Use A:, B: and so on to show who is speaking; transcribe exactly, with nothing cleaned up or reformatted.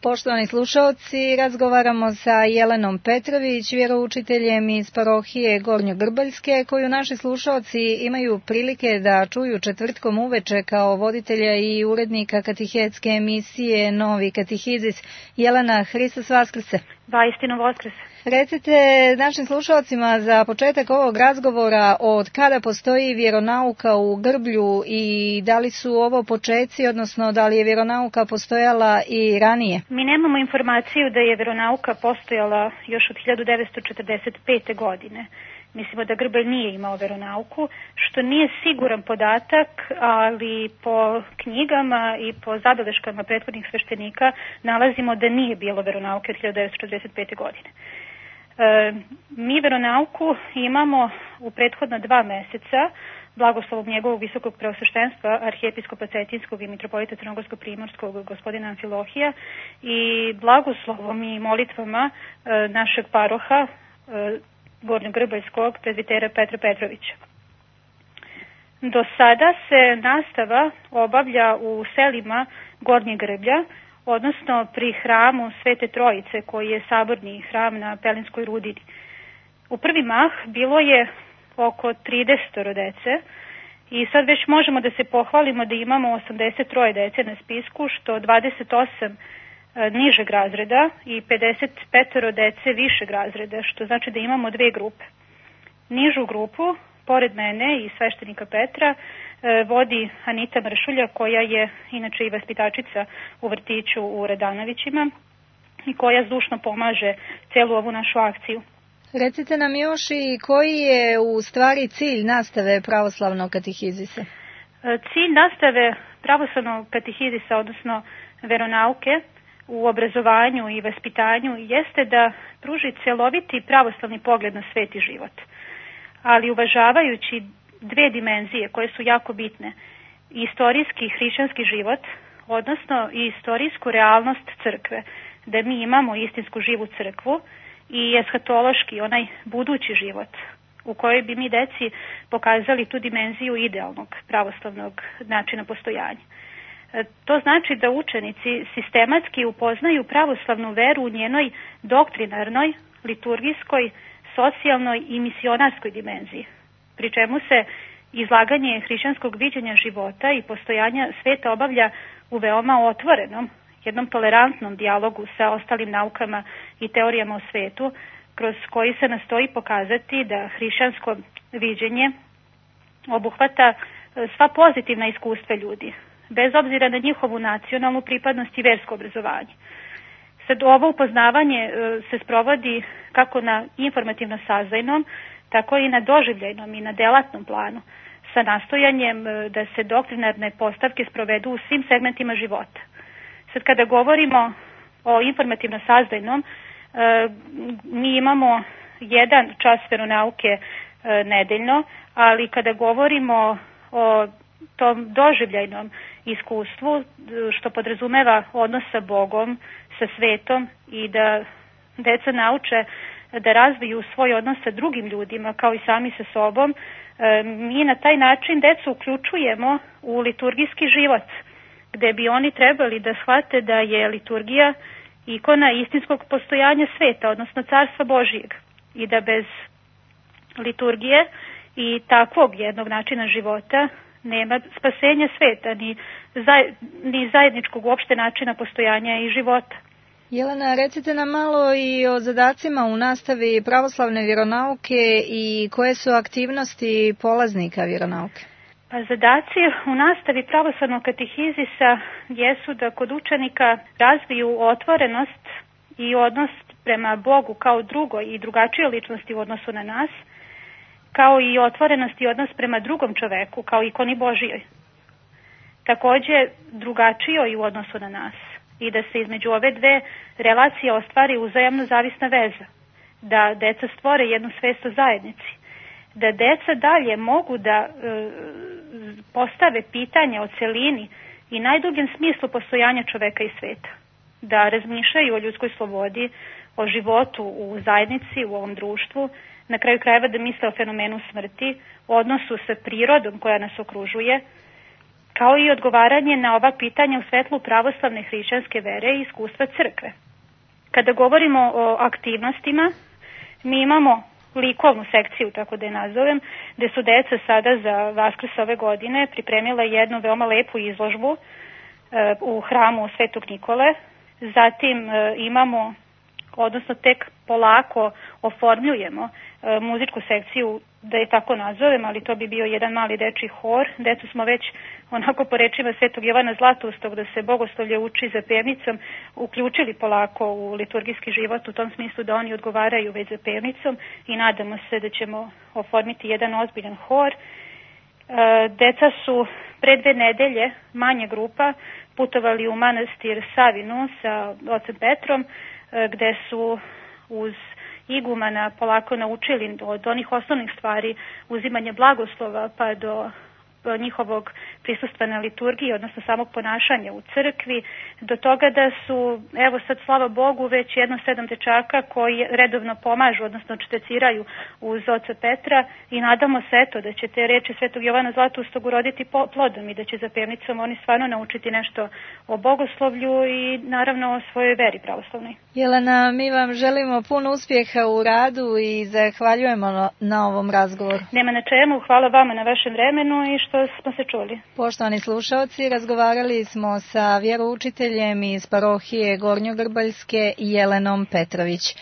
A: Poštovani slušalci, razgovaramo sa Jelenom Petrović, vjeroučiteljem iz parohije Gornjogrbaljske, koju naši slušalci imaju prilike da čuju četvrtkom uveče kao voditelja i urednika katehetske emisije Novi katehizis. Jelena, Hristos Vaskrse.
B: Vaistinu Vaskrse.
A: Recite našim slušalcima za početak ovog razgovora od kada postoji vjeronauka u Grblju i da li su ovo počeci, odnosno da li je vjeronauka postojala i ranije?
B: Mi nemamo informaciju da je vjeronauka postojala još od hiljadu devetsto četrdeset pete. godine. Mislimo da Grblj nije imao vjeronauku, što nije siguran podatak, ali po knjigama i po zabeleškama prethodnih sveštenika nalazimo da nije bilo vjeronauke od hiljadu devetsto četrdeset pete. godine. E, mi vjeronauku imamo u prethodna dva meseca blagoslovom njegovog visokog preosveštenstva arhijepiskopa Cetinskog i mitropolita Crnogorsko-primorskog gospodina Amfilohija i blagoslovom i molitvama e, našeg paroha e, Gornjogrbaljskog prezbitera Petra Petrovića. Do sada se nastava obavlja u selima Gornjeg Grblja, odnosno pri hramu Svete Trojice, koji je saborni hram na Pelinskoj rudini. U prvi mah bilo je oko trideset dece i sad već možemo da se pohvalimo da imamo osamdeset tri dece na spisku, što dvadeset osam nižeg razreda i pedeset pet dece višeg razreda, što znači da imamo dve grupe. Nižu grupu, pored mene i sveštenika Petra, vodi Anita Mršulja, koja je inače i vaspitačica u vrtiću u Radanovićima i koja zdušno pomaže celu ovu našu akciju.
A: Recite nam još i koji je u stvari cilj nastave pravoslavnog katehizisa?
B: Cilj nastave pravoslavnog katehizisa, odnosno veronauke, u obrazovanju i vaspitanju jeste da pruži celoviti pravoslavni pogled na svet i život, ali uvažavajući dve dimenzije koje su jako bitne: istorijski hrišćanski život, odnosno i istorijsku realnost crkve, da mi imamo istinsku živu crkvu, i eshatološki, onaj budući život, u kojoj bi mi deci pokazali tu dimenziju idealnog pravoslavnog načina postojanja. To znači da učenici sistematski upoznaju pravoslavnu veru u njenoj doktrinarnoj, liturgijskoj, socijalnoj i misionarskoj dimenziji, pri čemu se izlaganje hrišćanskog viđenja života i postojanja sveta obavlja u veoma otvorenom, jednom tolerantnom dijalogu sa ostalim naukama i teorijama o svetu, kroz koji se nastoji pokazati da hrišćansko viđenje obuhvata sva pozitivna iskustva ljudi, bez obzira na njihovu nacionalnu pripadnost i versko obrazovanje. Sad, ovo upoznavanje se sprovodi kako na informativno-saznajnom, tako i na doživljajnom i na delatnom planu, sa nastojanjem da se doktrinarne postavke sprovedu u svim segmentima života. Sad, kada govorimo o informativno-saznajnom, mi imamo jedan čas veronauke nedeljno, ali kada govorimo o tom doživljajnom iskustvu, što podrazumeva odnos sa Bogom, sa svetom i da deca nauče da razviju svoj odnos sa drugim ljudima kao i sami sa sobom, mi na taj način decu uključujemo u liturgijski život, gde bi oni trebali da shvate da je liturgija ikona istinskog postojanja sveta, odnosno Carstva Božijeg, i da bez liturgije i takvog jednog načina života nema spasenja sveta, ni, zaj, ni zajedničkog uopšte načina postojanja i života.
A: Jelena, recite nam malo i o zadacima u nastavi pravoslavne vjeronauke i koje su aktivnosti polaznika vjeronauke.
B: Pa zadaci u nastavi pravoslavnog katehizisa jesu da kod učenika razviju otvorenost i odnos prema Bogu kao drugoj i drugačijoj ličnosti u odnosu na nas, kao i otvorenost i odnos prema drugom čoveku, kao ikoni Božijoj. Takođe, drugačijoj u odnosu na nas, i da se između ove dve relacije ostvari uzajamno zavisna veza, da deca stvore jednu svest o zajednici, da deca dalje mogu da e, postave pitanja o celini i najdubljem smislu postojanja čoveka i sveta, da razmišljaju o ljudskoj slobodi, o životu u zajednici, u ovom društvu, na kraju krajeva da misle o fenomenu smrti, o odnosu sa prirodom koja nas okružuje, kao i odgovaranje na ova pitanja u svetlu pravoslavne hrišćanske vere i iskustva crkve. Kada govorimo o aktivnostima, mi imamo likovnu sekciju, tako da je nazovem, gde su deca sada za Vaskrs ove godine pripremila jednu veoma lepu izložbu e, u hramu Svetog Nikole. Zatim e, imamo, odnosno tek polako oformljujemo e, muzičku sekciju, da je tako nazovem, ali to bi bio jedan mali dečiji hor. Decu smo već, onako po rečima Svetog Jovana Zlatoustog, da se bogoslovlje uči za pevnicom, uključili polako u liturgijski život, u tom smislu da oni odgovaraju već za pevnicom i nadamo se da ćemo oformiti jedan ozbiljan hor. E, deca su pre dve nedelje, manja grupa, putovali u manastir Savinu sa ocem Petrom, e, gde su uz igumana polako naučili od onih osnovnih stvari, uzimanje blagoslova pa do njihovog prisustva na liturgiji, odnosno samog ponašanja u crkvi, do toga da su, evo sad slava Bogu, već jedno sedam dečaka koji redovno pomažu, odnosno čteciraju uz oca Petra i nadamo se eto da će te reči Svetog Jovana Zlatoustog uroditi plodom i da će za pevnicom oni stvarno naučiti nešto o bogoslovlju i naravno o svojoj veri pravoslavnoj.
A: Jelena, mi vam želimo puno uspjeha u radu i zahvaljujemo na ovom razgovoru.
B: Nema na čemu, hvala vama na vašem vremenu i što smo se čuli.
A: Poštovani slušalci, razgovarali smo sa vjeroučiteljem iz parohije Gornjogrbaljske Jelenom Petrović.